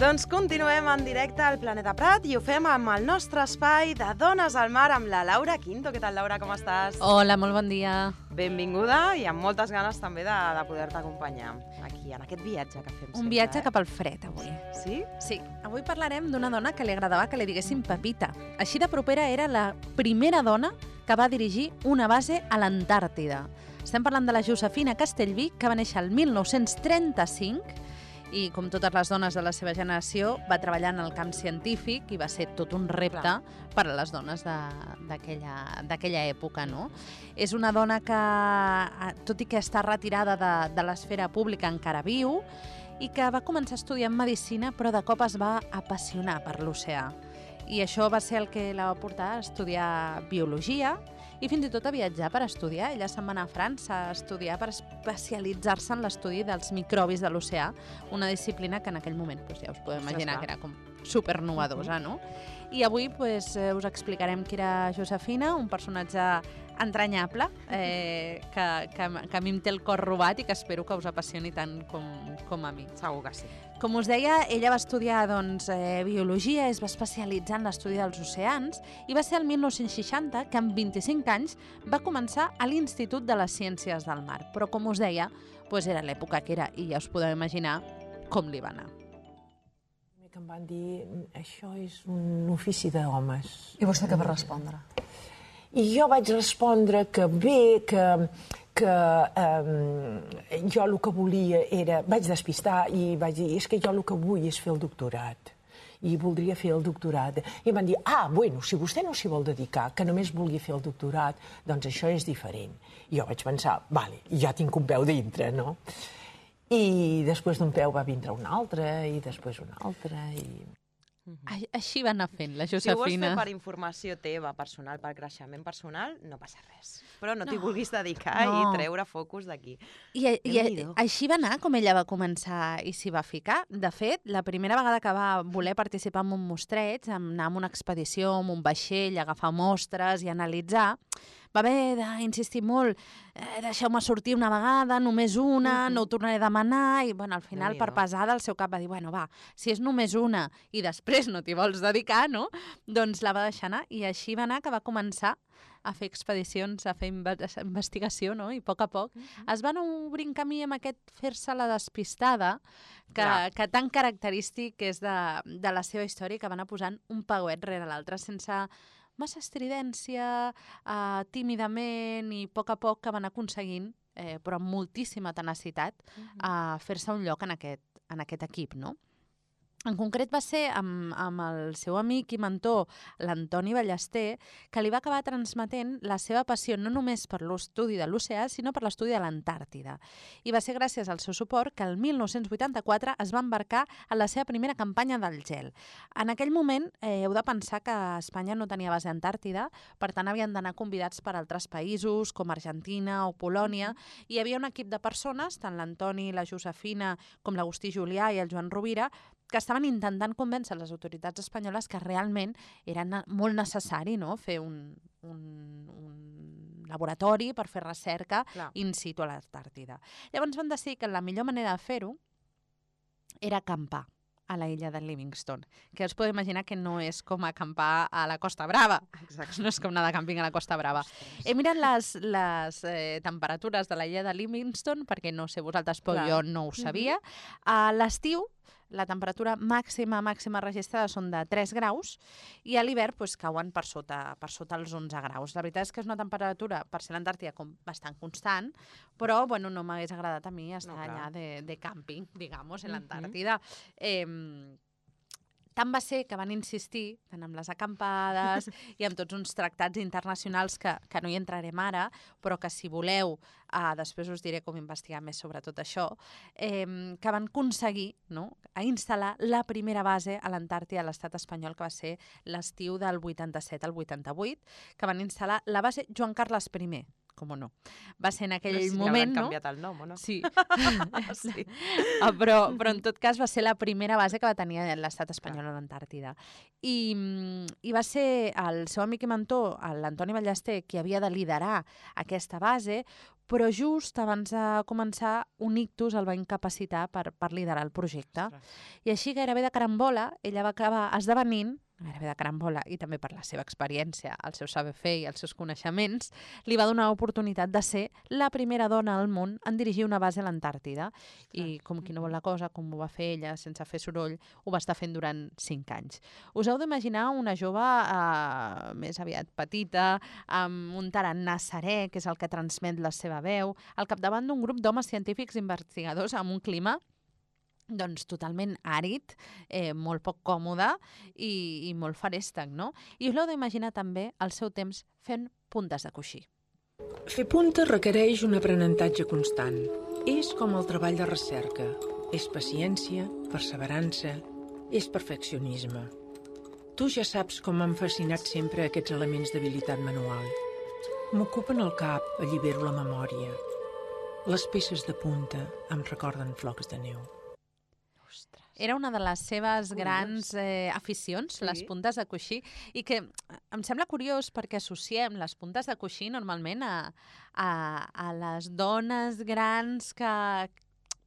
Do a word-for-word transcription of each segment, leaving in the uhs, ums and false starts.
Doncs continuem en directe al Planeta Prat i ho fem amb el nostre espai de Dones al Mar amb la Laura Quinto. Què tal, Laura, com estàs? Hola, molt bon dia. Benvinguda i amb moltes ganes també de, de poder-te acompanyar aquí, en aquest viatge que fem sempre. Un viatge eh? cap al fred, avui. Sí? Sí. Avui parlarem d'una dona que li agradava que li diguessin Pepita. Així de propera era la primera dona que va dirigir una base a l'Antàrtida. Estem parlant de la Josefina Castellví, que va néixer el mil nou-cents trenta-cinc i, com totes les dones de la seva generació, va treballar en el camp científic i va ser tot un repte Clar. per a les dones d'aquella època, no? És una dona que, tot i que està retirada de, de l'esfera pública, encara viu, i que va començar a estudiar medicina, però de cop es va apassionar per l'oceà. I això va ser el que la va portar a estudiar biologia i fins i tot a viatjar per estudiar. Ella se'n va anar a França a estudiar per especialitzar-se en l'estudi dels microbis de l'oceà, una disciplina que en aquell moment, doncs, ja us podeu imaginar que era com supernovadosa, no? I avui pues, eh, us explicarem qui era Josefina, un personatge entranyable, eh, que, que, que a mi em té el cor robat i que espero que us apassioni tant com, com a mi. Segur que sí. Com us deia, ella va estudiar doncs, eh, biologia, es va especialitzar en l'estudi dels oceans i va ser el mil nou-cents seixanta que amb vint-i-cinc anys va començar a l'Institut de les Ciències del Mar. Però, com us deia, doncs era l'època que era i ja us podeu imaginar com li va anar. Que em van dir, això és un ofici d'homes. I vostè què va respondre? I jo vaig respondre que bé, que, que eh, jo el que volia era... Vaig despistar i vaig dir, és que jo el que vull és fer el doctorat. I voldria fer el doctorat. I em van dir, ah, bueno, si vostè no s'hi vol dedicar, que només vulgui fer el doctorat, doncs això és diferent. I jo vaig pensar, vale, ja tinc un peu dintre, no? I després d'un peu va vindre un altre, i després un altre, i... Així va anar fent la Josefina. Si ho vols fer per informació teva personal, per creixement personal, no passa res. Però no t'hi no. vulguis dedicar no. i treure focus d'aquí. I, i així va anar com ella va començar i s'hi va ficar. De fet, la primera vegada que va voler participar en un mostreig, anar en una expedició, en un vaixell, agafar mostres i analitzar, va haver d'insistir molt, eh, deixeu-me sortir una vegada, només una, uh-huh. no ho tornaré a demanar, i bueno, al final, per pesada, el seu cap va dir, bueno, va, si és només una i després no t'hi vols dedicar, no? Doncs la va deixar anar, i així va anar que va començar a fer expedicions, a fer investigació, no? I a poc a poc uh-huh. es van obrint camí amb aquest fer-se la despistada que, que tan característic és de, de la seva història, que va anar posant un pauet rere l'altre sense massa estridència, eh, tímidament i a poc a poc que van aconseguint, eh, però amb moltíssima tenacitat, uh-huh. eh, fer-se un lloc en aquest, en aquest equip, no? En concret va ser amb, amb el seu amic i mentor, l'Antoni Ballester, que li va acabar transmetent la seva passió no només per l'estudi de l'oceà, sinó per l'estudi de l'Antàrtida. I va ser gràcies al seu suport que el mil nou-cents vuitanta-quatre es va embarcar en la seva primera campanya del gel. En aquell moment eh, heu de pensar que Espanya no tenia base a Antàrtida, per tant havien d'anar convidats per altres països, com Argentina o Polònia, i hi havia un equip de persones, tant l'Antoni, la Josefina, com l'Agustí Julià i el Joan Rovira, que estaven intentant convèncer les autoritats espanyoles que realment era molt necessari, no?, fer un, un, un laboratori per fer recerca Clar. in situ a l'Antàrtida. Llavors van decidir que la millor manera de fer-ho era acampar a la illa de Livingstone, que us podeu imaginar que no és com acampar a la Costa Brava. Exacte. No és com anar de càmping a la Costa Brava. Ostres. He mirat les, les eh, temperatures de la illa de Livingstone, perquè no sé vosaltres, però Clar. jo no ho sabia. Mm-hmm. A l'estiu, la temperatura màxima màxima registrada són de tres graus i a l'hivern pues, cauen per sota, per sota els onze graus. La veritat és que és una temperatura, per ser l'Antàrtida, com bastant constant, però bueno, no m'hagués agradat a mi estar no, allà de, de càmping, digamos, en l'Antàrtida. Uh-huh. Eh, Tant va ser que van insistir, tant amb les acampades i amb tots uns tractats internacionals que, que no hi entrarem ara, però que si voleu, eh, després us diré com investigar més sobre tot això, eh, que van aconseguir, no?, a instal·lar la primera base a l'Antàrtida a l'estat espanyol, que va ser l'estiu del vuitanta-set al vuitanta-vuit, que van instal·lar la base Joan Carles I, com no. Va ser en aquell sí, moment, no? no? canviat el nom, o no? Sí. sí. però, però en tot cas va ser la primera base que va tenir l'estat espanyol a l'Antàrtida. I, I va ser el seu amic i mentor, l'Antoni Ballester, qui havia de liderar aquesta base, però just abans de començar un ictus el va incapacitar per, per liderar el projecte. Ostres. I així, gairebé de carambola, ella va acabar esdevenint, gairebé de carambola, i també per la seva experiència, el seu saber fer i els seus coneixements, li va donar l'oportunitat de ser la primera dona al món en dirigir una base a l'Antàrtida. I com qui no vol la cosa, com ho va fer ella, sense fer soroll, ho va estar fent durant cinc anys. Us heu d'imaginar una jove eh, més aviat petita, amb un tarannà serè, que és el que transmet la seva veu, al capdavant d'un grup d'homes científics investigadors amb un clima doncs totalment àrid, eh, molt poc còmode i, i molt farèstec, no? I us l'heu d'imaginar també el seu temps fent puntes de coixí. Fer puntes requereix un aprenentatge constant. És com el treball de recerca. És paciència, perseverança, és perfeccionisme. Tu ja saps com m'han fascinat sempre aquests elements d'habilitat manual. M'ocupen el cap, allibero la memòria. Les peces de punta em recorden flocs de neu. Era una de les seves grans eh, aficions, sí. les puntes de coixí, i que em sembla curiós perquè associem les puntes de coixí normalment a, a, a les dones grans que,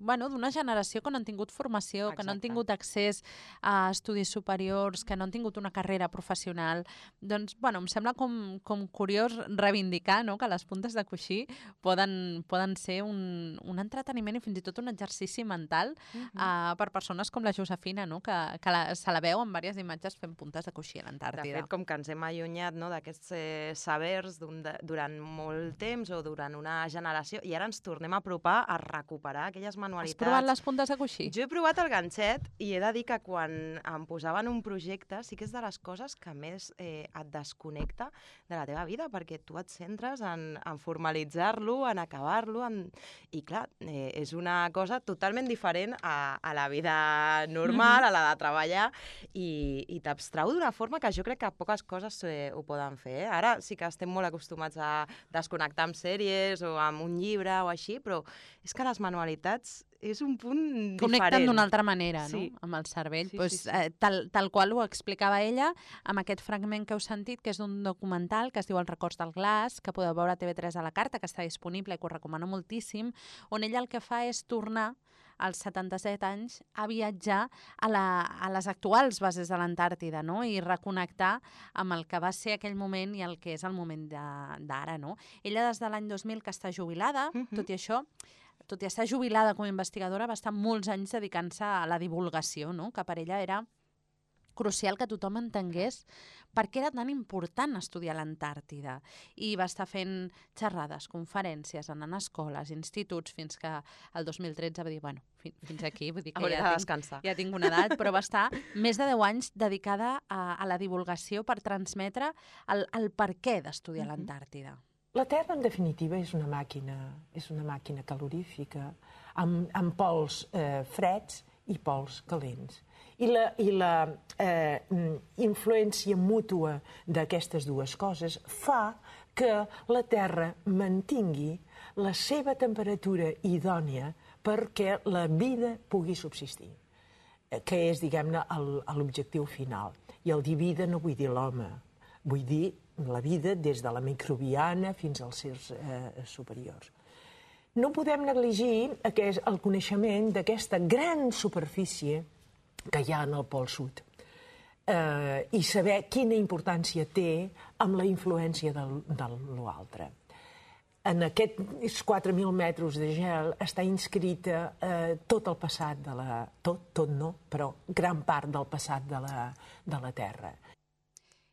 bueno, d'una generació que no han tingut formació, Exacte. que no han tingut accés a estudis superiors, que no han tingut una carrera professional. Doncs, bueno, em sembla com, com curiós reivindicar, no?, que les puntes de coixí poden, poden ser un, un entreteniment i fins i tot un exercici mental uh-huh. uh, per persones com la Josefina, no?, que, que la, se la veu en diverses imatges fent puntes de coixí a l'Antàrtida. De fet, com que ens hem allunyat, no?, d'aquests eh, sabers de, durant molt temps o durant una generació, i ara ens tornem a apropar a recuperar aquelles manualitats. Has provat les puntes de coixí? Jo he provat el ganxet i he de dir que quan em posaven un projecte sí que és de les coses que més eh, et desconnecta de la teva vida, perquè tu et centres en, en formalitzar-lo, en acabar-lo, en... i clar, eh, és una cosa totalment diferent a, a la vida normal, mm-hmm. a la de treballar, i, i t'abstrau d'una forma que jo crec que poques coses eh, ho poden fer. Eh? Ara sí que estem molt acostumats a desconnectar amb sèries o amb un llibre o així, però és que les manualitats és un punt diferent. Connecten d'una altra manera, sí. no?, amb el cervell. Sí, pues, sí, sí. Eh, tal, tal qual ho explicava ella amb aquest fragment que heu sentit, que és d'un documental que es diu Els records del glaç, que podeu veure a T V tres a la carta, que està disponible i que us recomano moltíssim, on ella el que fa és tornar als setanta-set anys a viatjar a, la, a les actuals bases de l'Antàrtida, no?, i reconnectar amb el que va ser aquell moment i el que és el moment d'ara, no? Ella des de l'any dos mil que està jubilada, uh-huh. tot i això, tot i estar jubilada com a investigadora, va estar molts anys dedicant-se a la divulgació, no?, que per ella era crucial que tothom entengués per què era tan important estudiar l'Antàrtida. I va estar fent xerrades, conferències, anant a escoles, instituts, fins que el dos mil tretze va dir, bueno, fins aquí, vull dir que ja tinc, ja tinc una edat, però va estar més de deu anys dedicada a, a la divulgació per transmetre el, el per què d'estudiar uh-huh. l'Antàrtida. La Terra, en definitiva, és una màquina, és una màquina calorífica, amb, amb pols eh, freds i pols calents. I la, i la eh, influència mútua d'aquestes dues coses fa que la Terra mantingui la seva temperatura idònia perquè la vida pugui subsistir, que és, diguem-ne, l'objectiu final. I el dir vida no vull dir l'home, vull dir la vida des de la microbiana fins als sers eh, superiors. No podem negligir aquest, el coneixement d'aquesta gran superfície que hi ha en el Pol Sud eh, i saber quina importància té amb la influència de, de l'altre. En aquests quatre mil metres de gel està inscrita eh, tot el passat de la... Tot, tot no, però gran part del passat de la, de la Terra.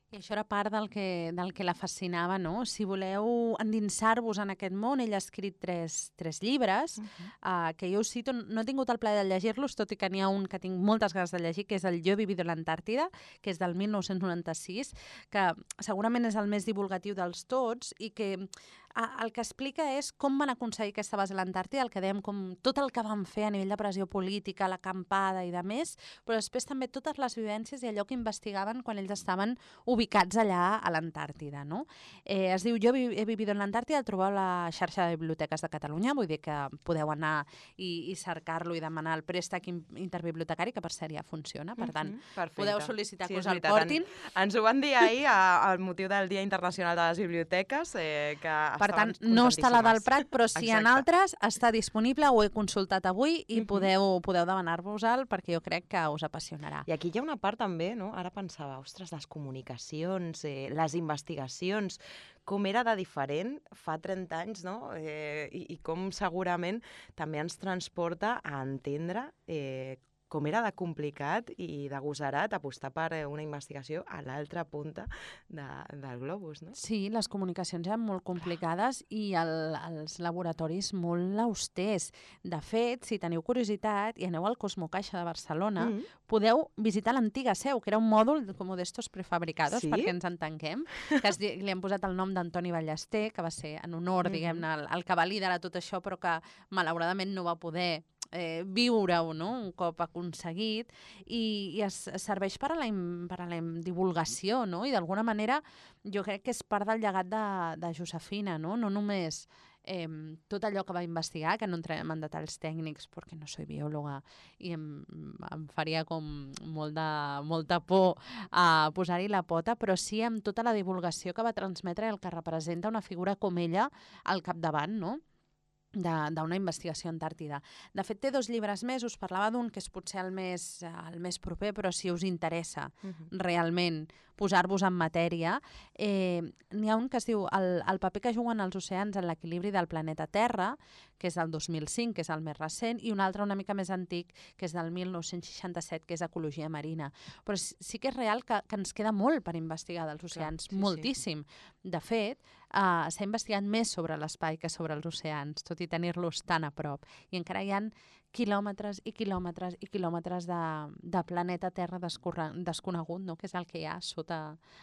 I això era part del que, del que la fascinava, no? Si voleu endinsar-vos en aquest món, ell ha escrit tres, tres llibres, uh-huh. uh, que jo us cito, no he tingut el plaer de llegir-los, tot i que n'hi ha un que tinc moltes ganes de llegir, que és el Yo he vivido en l'Antàrtida, que és del mil nou-cents noranta-sis, que segurament és el més divulgatiu dels tots i que el que explica és com van aconseguir aquesta base a l'Antàrtida, el que dèiem, com tot el que van fer a nivell de pressió política, l'acampada i de més, però després també totes les vivències i allò que investigaven quan ells estaven ubicats allà a l'Antàrtida, no? Eh, es diu Jo he vivido en l'Antàrtida, el trobeu a la xarxa de biblioteques de Catalunya, vull dir que podeu anar i, i cercar-lo i demanar el préstec interbibliotecari, que per cert ja funciona, per tant, mm-hmm. podeu sol·licitar sí, que us el portin. En, ens ho van dir ahir al motiu del Dia Internacional de les Biblioteques, eh, que per tant, no està la del Prat, però si en altres està disponible, ho he consultat avui i uh-huh. podeu, podeu demanar-vos-el perquè jo crec que us apassionarà. I aquí hi ha una part també, no? Ara pensava, ostres, les comunicacions, eh, les investigacions, com era de diferent fa trenta anys, no? Eh, i, i com segurament també ens transporta a entendre eh, com era de complicat i d'agosarat apostar per una investigació a l'altra punta de, del globus, no? Sí, les comunicacions eren molt complicades i el, els laboratoris molt austers. De fet, si teniu curiositat i aneu al Cosmocaixa de Barcelona, mm-hmm. podeu visitar l'antiga seu, que era un mòdul com d'estos prefabricados, sí? Perquè ens entenguem, que es, li han posat el nom d'Antoni Ballester, que va ser en honor, mm-hmm. diguem-ne, el, el que va liderar tot això, però que malauradament no va poder Eh, viure-ho, no? Un cop aconseguit, i, i es, es serveix per a la, per a la divulgació, no? I d'alguna manera jo crec que és part del llegat de, de Josefina, no? No només eh, tot allò que va investigar, que no entrem en detalls tècnics perquè no soy biòloga i em, em faria com molt de, molta por a posar-hi la pota, però sí amb tota la divulgació que va transmetre el que representa una figura com ella al capdavant, no? d'una investigació antàrtida. De fet, té dos llibres més, us parlava d'un que és potser el més, el més proper, però si us interessa uh-huh. realment posar-vos en matèria, eh, n'hi ha un que es diu el, el paper que juguen els oceans en l'equilibri del planeta Terra, que és del dos mil cinc, que és el més recent, i un altre una mica més antic, que és del mil nou-cents seixanta-set, que és Ecologia Marina. Però sí que és real que, que ens queda molt per investigar dels oceans, clar, sí, moltíssim. Sí. De fet, uh, s'ha investigat més sobre l'espai que sobre els oceans, tot i tenir-los tan a prop. I encara hi ha quilòmetres i quilòmetres i quilòmetres de, de planeta Terra desconegut, no? Que és el que hi ha a sota,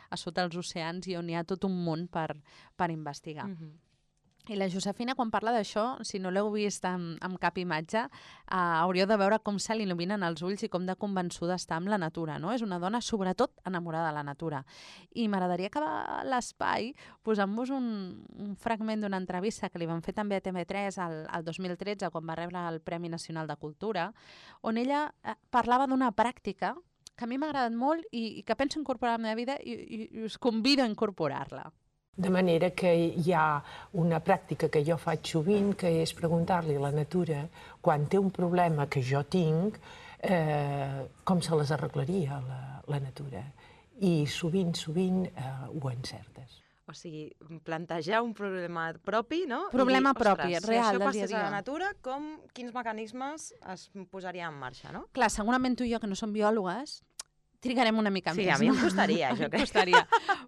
a sota els oceans i on hi ha tot un món per, per investigar. Mm-hmm. I la Josefina, quan parla d'això, si no l'heu vist amb, amb cap imatge, eh, hauríeu de veure com se l'il·luminen els ulls i com de convençuda està amb la natura, no? És una dona, sobretot, enamorada de la natura. I m'agradaria acabar l'espai posant-vos un, un fragment d'una entrevista que li van fer també a T V tres el, el dos mil tretze, quan va rebre el Premi Nacional de Cultura, on ella eh, parlava d'una pràctica que a mi m'ha agradat molt i, i que penso incorporar a la meva vida i, i, i us convido a incorporar-la. De manera que hi ha una pràctica que jo faig sovint, que és preguntar-li a la natura, quan té un problema que jo tinc, eh, com se les arreglaria la, la natura. I sovint, sovint eh, ho encertes. O sigui, plantejar un problema propi, no? Problema dir, propi, real, del dia a dia. Si això passés a la natura, com, quins mecanismes es posarien en marxa, no? Clar, segurament tu i jo, que no som biòlogues, trigarem una mica sí, més. Sí, a mi em costaria, jo crec. costaria.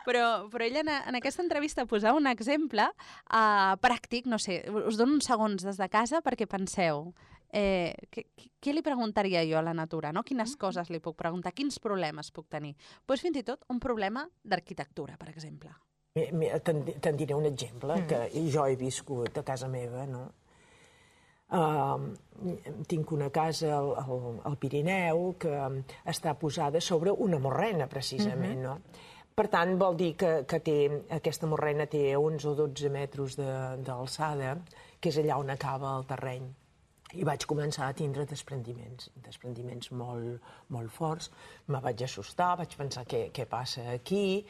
Però, però ella en, en aquesta entrevista posava un exemple uh, pràctic, no sé, us dono uns segons des de casa perquè penseu, eh, què, què li preguntaria jo a la natura, no? Quines mm-hmm. coses li puc preguntar, quins problemes puc tenir? Doncs fins i tot un problema d'arquitectura, per exemple. Te'n diré un exemple, mm. que jo he viscut a casa meva, no? Uh, tinc una casa al, al, al Pirineu que està posada sobre una morrena, precisament, mm-hmm. no? Per tant, vol dir que, que té, aquesta morrena té onze o dotze metres d'alçada, que és allà on acaba el terreny. I vaig començar a tindre desprendiments, desprendiments molt, molt forts. Me vaig assustar, vaig pensar què, què passa aquí,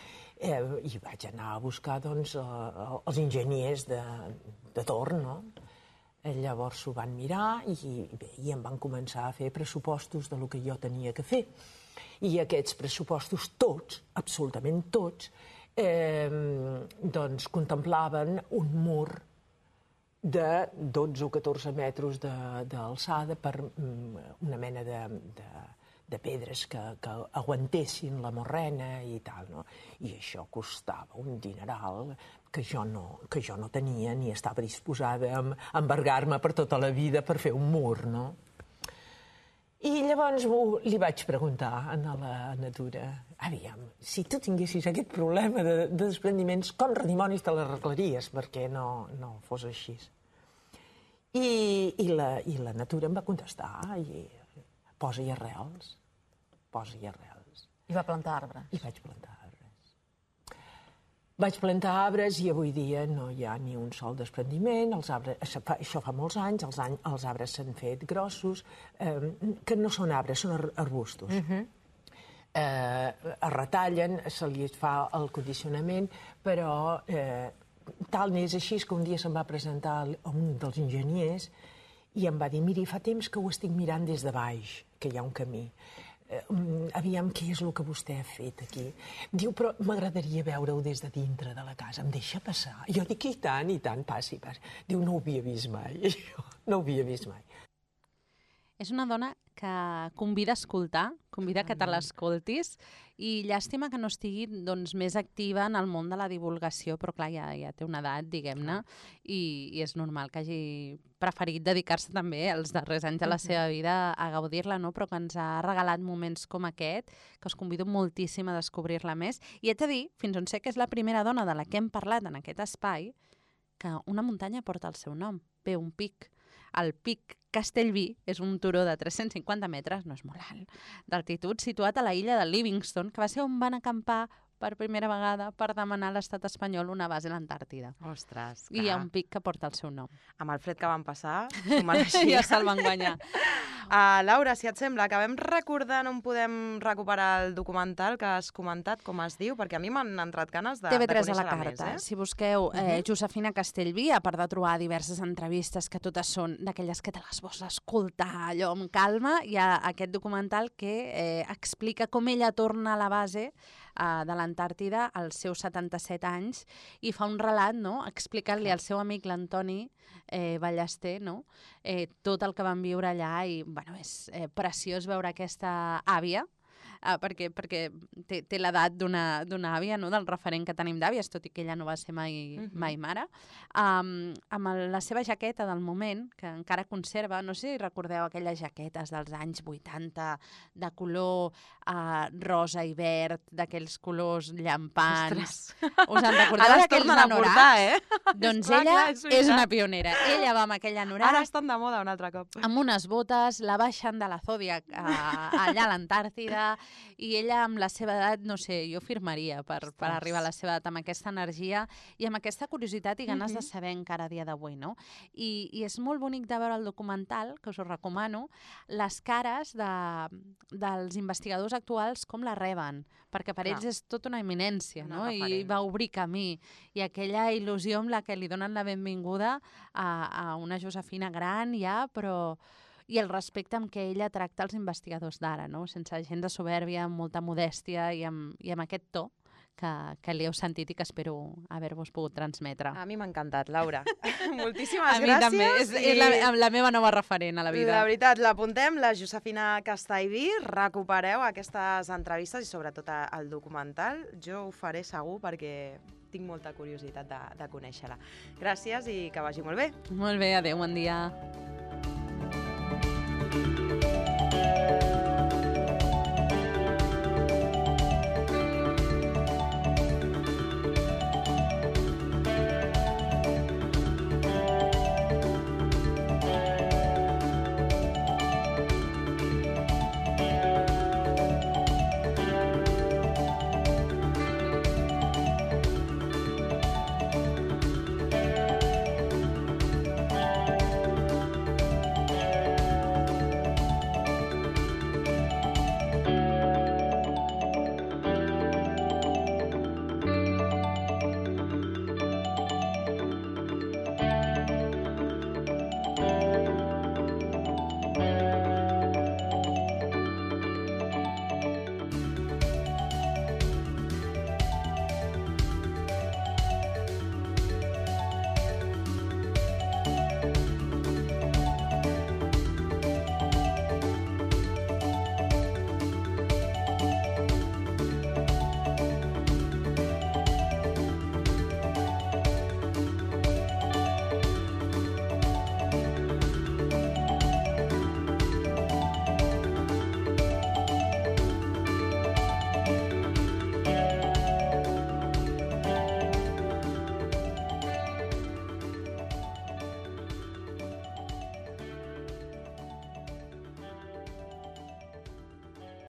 eh, i vaig anar a buscar doncs, eh, els enginyers de, de torn, no? Llavors s'ho van mirar i, bé, i em van començar a fer pressupostos del que jo tenia que fer. I aquests pressupostos tots, absolutament tots, eh, doncs contemplaven un mur de dotze o catorze metres d'alçada per una mena de, de, de pedres que, que aguantessin la morrena i tal, no? I això costava un dineral que jo no, que jo no tenia ni estava disposada a embargar-me per tota la vida per fer un mur, no? I llavors li vaig preguntar a la Natura, aviam, si tu tinguessis aquest problema de, de desprendiments, com redimonis te l'arreglaries perquè no, no fos així? I, i, la, I la Natura em va contestar, i posa-hi arrels, posa-hi arrels. I va plantar arbres. I vaig plantar arbres. Vaig plantar arbres i avui dia no hi ha ni un sol desprendiment. Els arbres, això fa molts anys, els, any, els arbres s'han fet grossos, eh, que no són arbres, són arbustos. Uh-huh. eh, es retallen, se li fa el condicionament, però eh, tal n'és així que un dia se'm va presentar un dels enginyers i em va dir, miri, fa temps que ho estic mirant des de baix, que hi ha un camí. Uh, aviam què és el que vostè ha fet aquí. Diu, però m'agradaria veure-ho des de dintre de la casa. Em deixa passar? Jo dic, i tant, i tant, passi, passi. Diu, no ho havia vist mai. No ho havia vist mai. És una dona que convida a escoltar, convida que te l'escoltis, i llàstima que no estigui doncs, més activa en el món de la divulgació, però clar, ja, ja té una edat, diguem-ne, i, i és normal que hagi preferit dedicar-se també els darrers anys de la seva vida a gaudir-la, no? Però que ens ha regalat moments com aquest, que us convido moltíssim a descobrir-la més. I haig de dir, fins on sé que és la primera dona de la que hem parlat en aquest espai, que una muntanya porta el seu nom, ve un pic. El Pic Castellví és un turó de tres-cents cinquanta metres, no és molt alt, d'altitud, situat a la illa de Livingstone, que va ser on van acampar per primera vegada per demanar a l'estat espanyol una base a l'Antàrtida. Ostres, clar. I hi ha un pic que porta el seu nom. Amb el fred que van passar, s'ho mereixia. Ja se'l van guanyar. Uh, Laura, si et sembla, acabem recordant on podem recuperar el documental que has comentat, com es diu, perquè a mi m'han entrat ganes de, T V de tres conèixer-la a la carta. més. Eh? Si busqueu eh, uh-huh. Josefina Castellví, a part de trobar diverses entrevistes que totes són d'aquelles que te les vols escoltar allò amb calma, hi ha aquest documental que eh, explica com ella torna a la base uh, de l'Antàrtida als seus setanta-set anys i fa un relat, no?, explicant-li al seu amic l'Antoni eh, Ballester, no?, eh, tot el que van viure allà i bueno, és eh, preciós veure aquesta àvia, Uh, perquè, perquè té, té l'edat d'una àvia, no? Del referent que tenim d'àvies, tot i que ella no va ser mai, uh-huh. mai mare, um, amb el, la seva jaqueta del moment, que encara conserva, no sé si recordeu aquelles jaquetes dels anys vuitanta, de color uh, rosa i verd, d'aquells colors llampants. Ostres. Us en recordeu d'aquells anoraks? Eh? Doncs clar, ella clar, és, és una pionera. Ella va amb aquell anorac. Ara estan de moda un altre cop. Amb unes botes, la baixen de la Zodiac uh, allà a l'Antàrtida, i ella amb la seva edat, no sé, jo firmaria per, per arribar a la seva edat amb aquesta energia i amb aquesta curiositat i ganes uh-huh. de saber encara a dia d'avui, no? I, I és molt bonic de veure el documental, que us ho recomano, les cares de, dels investigadors actuals com la reben, perquè per Clar. ells és tota una eminència, una no? Referent. I va obrir camí. I aquella il·lusió amb la que li donen la benvinguda a, a una Josefina gran ja, però i el respecte amb què ella tracta els investigadors d'ara, no? Sense gens de soberbia, amb molta modèstia i amb, i amb aquest to que, que li heu sentit i que espero haver-vos pogut transmetre. A mi m'ha encantat, Laura. Moltíssimes a gràcies. A mi també, és, i... és la, la meva nova referent a la vida. La veritat, l'apuntem, la Josefina Castellví, recupereu aquestes entrevistes i sobretot el documental. Jo ho faré segur perquè tinc molta curiositat de, de conèixer-la. Gràcies i que vagi molt bé. Molt bé, adéu, bon dia.